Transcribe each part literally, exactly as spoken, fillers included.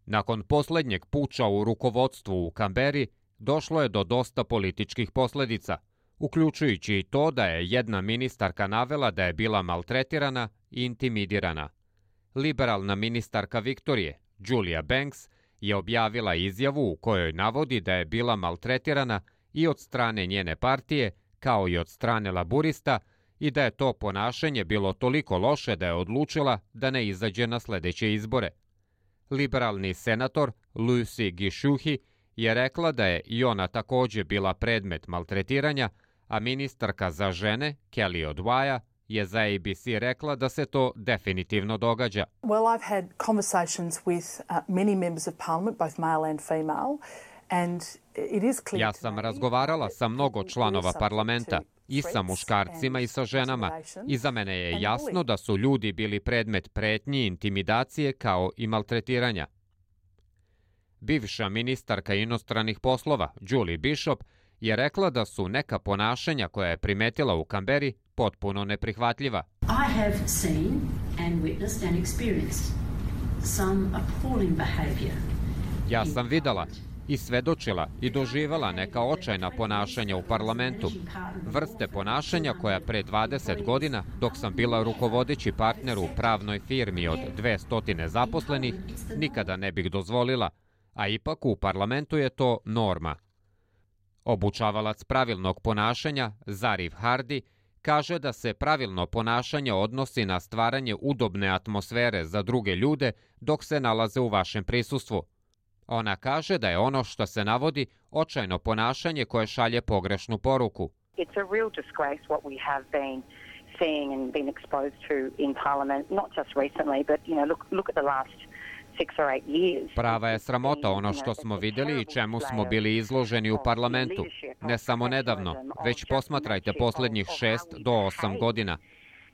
Nakon posljednjeg puča u rukovodstvu u Kamberi, došlo je do dosta političkih posljedica, uključujući i to da je jedna ministarka navela da je bila maltretirana i intimidirana. Liberalna ministarka Viktorije, Julia Banks, je objavila izjavu u kojoj navodi da je bila maltretirana i od strane njene partije, kao i od strane laburista, i da je to ponašanje bilo toliko loše da je odlučila da ne izađe na sljedeće izbore. Liberalni senator Lucy Gishuhi je rekla da je i ona također bila predmet maltretiranja, a ministarka za žene, Kelly Odwaja, je za A B C rekla da se to definitivno događa. Well, I've had conversations with uh, many members of parliament, both male and female, and it is clear. Ja sam razgovarala sa mnogo članova parlamenta, i sa muškarcima i sa ženama, i za mene je jasno da su ljudi bili predmet pretnji, intimidacije kao i maltretiranja. Bivša ministarka inostranih poslova, Julie Bishop, je rekla da su neka ponašanja koja je primetila u Kamberi potpuno neprihvatljiva. I have seen and witnessed and experienced some appalling behavior. Ja sam videla i svedočila i doživjela neka očajna ponašanja u parlamentu. Vrste ponašanja koja pre dvadeset godina, dok sam bila rukovodeći partner u pravnoj firmi od dvesta zaposlenih, nikada ne bih dozvolila, a ipak u parlamentu je to norma. Obučavalac pravilnog ponašanja, Zarif Hardy, kaže da se pravilno ponašanje odnosi na stvaranje udobne atmosfere za druge ljude dok se nalaze u vašem prisustvu. Ona kaže da je ono što se navodi očajno ponašanje koje šalje pogrešnu poruku. It's a real disgrace what we have been seeing and been exposed to in parliament, not just recently, but you know, look look at the last six or eight years. Prava je sramota ono što smo vidjeli i čemu smo bili izloženi u parlamentu. Ne samo nedavno, već posmatrajte posljednjih šest do osam godina.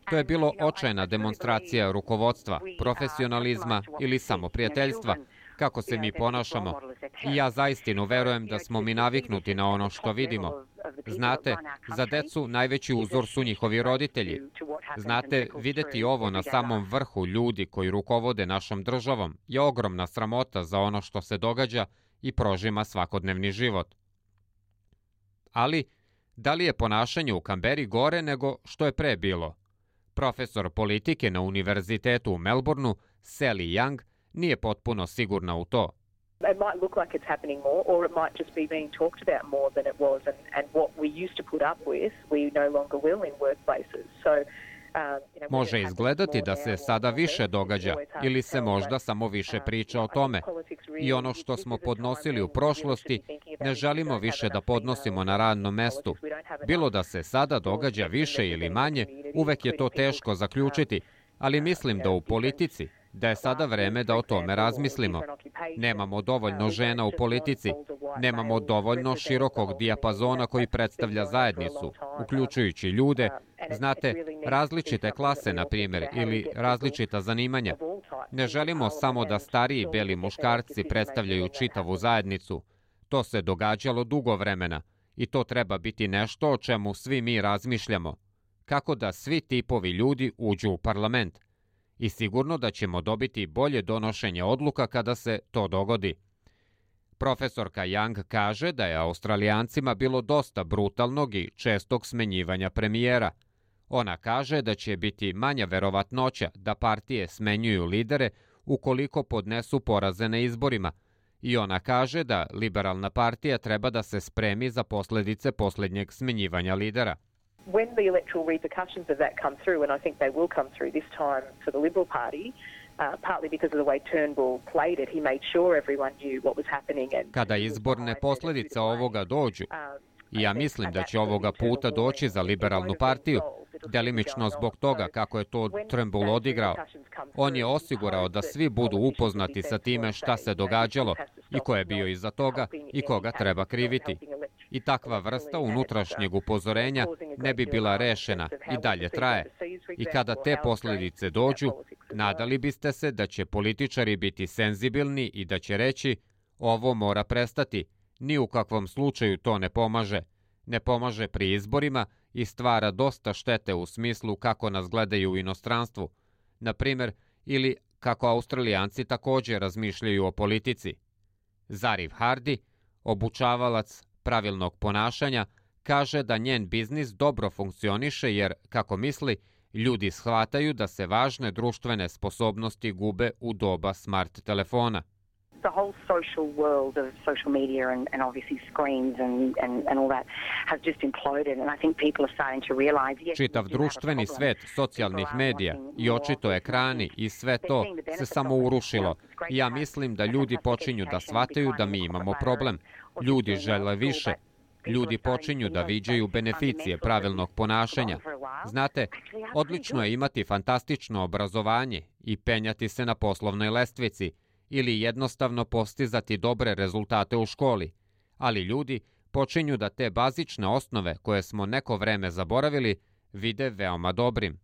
To je bilo očajna demonstracija rukovodstva, profesionalizma ili samoprijateljstva, kako se mi ponašamo. I ja zaistinu verujem da smo mi naviknuti na ono što vidimo. Znate, za decu najveći uzor su njihovi roditelji. Znate, vidjeti ovo na samom vrhu ljudi koji rukovode našom državom je ogromna sramota za ono što se događa i prožima svakodnevni život. Ali, da li je ponašanje u Kamberi gore nego što je pre bilo? Profesor politike na univerzitetu u Melbourneu, Sally Young, nije potpuno sigurna u to. It might look like it's happening more, or it might just be being talked about more than it was, and, and what we used to put up with, we no longer will in workplaces. So, um, you know, može izgledati da se sada više događa ili se možda samo više priča o tome. I ono što smo podnosili u prošlosti ne želimo više da podnosimo na radnom mestu. Bilo da se sada događa više ili manje, uvek je to teško zaključiti, ali mislim da u politici da je sada vreme da o tome razmislimo. Nemamo dovoljno žena u politici, nemamo dovoljno širokog dijapazona koji predstavlja zajednicu, uključujući ljude, znate, različite klase, na primjer, ili različita zanimanja. Ne želimo samo da stariji beli muškarci predstavljaju čitavu zajednicu. To se događalo dugo vremena i to treba biti nešto o čemu svi mi razmišljamo. Kako da svi tipovi ljudi uđu u parlament. I sigurno da ćemo dobiti bolje donošenje odluka kada se to dogodi. Profesorka Young kaže da je Australijancima bilo dosta brutalnog i čestog smenjivanja premijera. Ona kaže da će biti manja verovatnoća da partije smenjuju lidere ukoliko podnesu poraze na izborima. I ona kaže da liberalna partija treba da se spremi za posljedice posljednjeg smenjivanja lidera. When the electoral repercussions of that come through, and I think they will come through this time for the Liberal Party, uh, partly because of the way Turnbull played it, he made sure everyone knew what was happening. And kada izborne posljedice ovoga dođu, i ja mislim da će ovoga puta doći za liberalnu partiju, delimično zbog toga kako je to Turnbull odigrao. On je osigurao da svi budu upoznati sa time šta se događalo i ko je bio iza toga i koga treba kriviti. I takva vrsta unutrašnjeg upozorenja ne bi bila rešena i dalje traje. I kada te posljedice dođu, nadali biste se da će političari biti senzibilni i da će reći ovo mora prestati, ni u kakvom slučaju to ne pomaže. Ne pomaže pri izborima i stvara dosta štete u smislu kako nas gledaju u inostranstvu. Na primjer, ili kako Australijanci također razmišljaju o politici. Zariv Hardy, obučavalac pravilnog ponašanja, kaže da njen biznis dobro funkcioniše jer, kako misli, ljudi shvataju da se važne društvene sposobnosti gube u doba smart telefona. The whole social world of social media and, and obviously screens and, and, and all that has just imploded, and I think people are starting to realize, yes, Čitav društveni svet socijalnih medija i očito ekrani i sve to se samo urušilo. I ja mislim da ljudi počinju da shvataju da mi imamo problem. Ljudi žele više. Ljudi počinju da viđaju beneficije pravilnog ponašanja. Znate, odlično je imati fantastično obrazovanje i penjati se na poslovnoj lestvici ili jednostavno postizati dobre rezultate u školi, ali ljudi počinju da te bazične osnove koje smo neko vreme zaboravili vide veoma dobrim.